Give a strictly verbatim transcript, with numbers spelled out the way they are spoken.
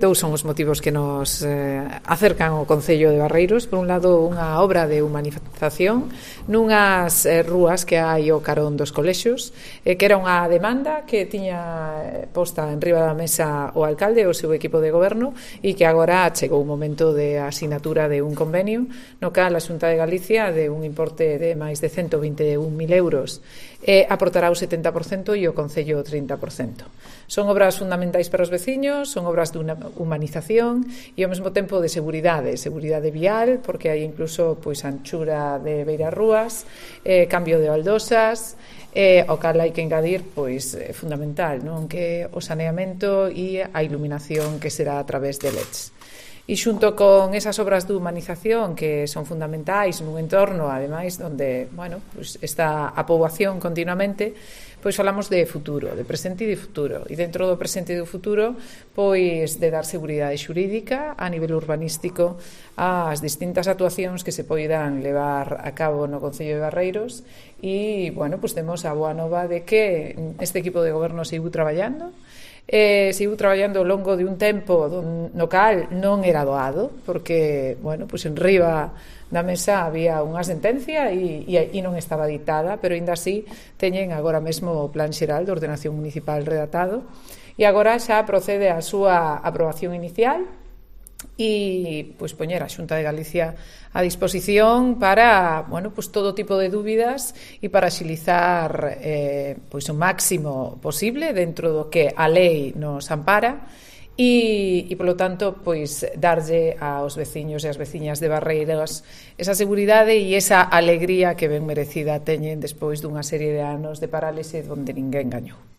Dous son os motivos que nos eh, acercan ao Concello de Barreiros. Por un lado, unha obra de humanización nunhas eh, rúas que hai ao carón dos colexios, eh, que era unha demanda que tiña posta en riba da mesa o alcalde e o seu equipo de goberno e que agora chegou o momento de asinatura de un convenio no cal a Xunta de Galicia, de un importe de máis de ciento vinte e un mil euros, eh, aportará o setenta por cento e o Concello o trinta por cento. Son obras fundamentais para os veciños, son obras de humanización e ao mesmo tempo de seguridade, seguridade vial, porque hai incluso pois anchura de beiras rúas, eh, cambio de baldosas, eh, o cal hai que engadir pois é fundamental, non, que o saneamento e a iluminación que será a través de L E Ds. E xunto con esas obras de humanización que son fundamentais nun entorno, ademais, onde, bueno, pues está a poboación continuamente, pois falamos de futuro, de presente e de futuro. E dentro do presente e do futuro, pois de dar seguridade xurídica a nivel urbanístico ás distintas actuacións que se poidan levar a cabo no Concello de Barreiros e, bueno, pois temos a boa nova de que este equipo de goberno seguiu traballando, Eh, seguiu traballando ao longo de un tempo no cal non era doado, porque, bueno, pois en riba da mesa había unha sentencia e, e, e non estaba ditada, pero ainda así teñen agora mesmo o Plan Xeral de Ordenación Municipal redactado e agora xa procede a súa aprobación inicial e pois poñer a Xunta de Galicia a disposición para, bueno, pois todo tipo de dúbidas e para axilizar eh, pois o máximo posible dentro do que a lei nos ampara e, e polo tanto, pois darlle aos veciños e ás veciñas de Barreiros esa seguridade e esa alegría que ben merecida teñen despois dunha serie de anos de parálise onde ninguén gañou.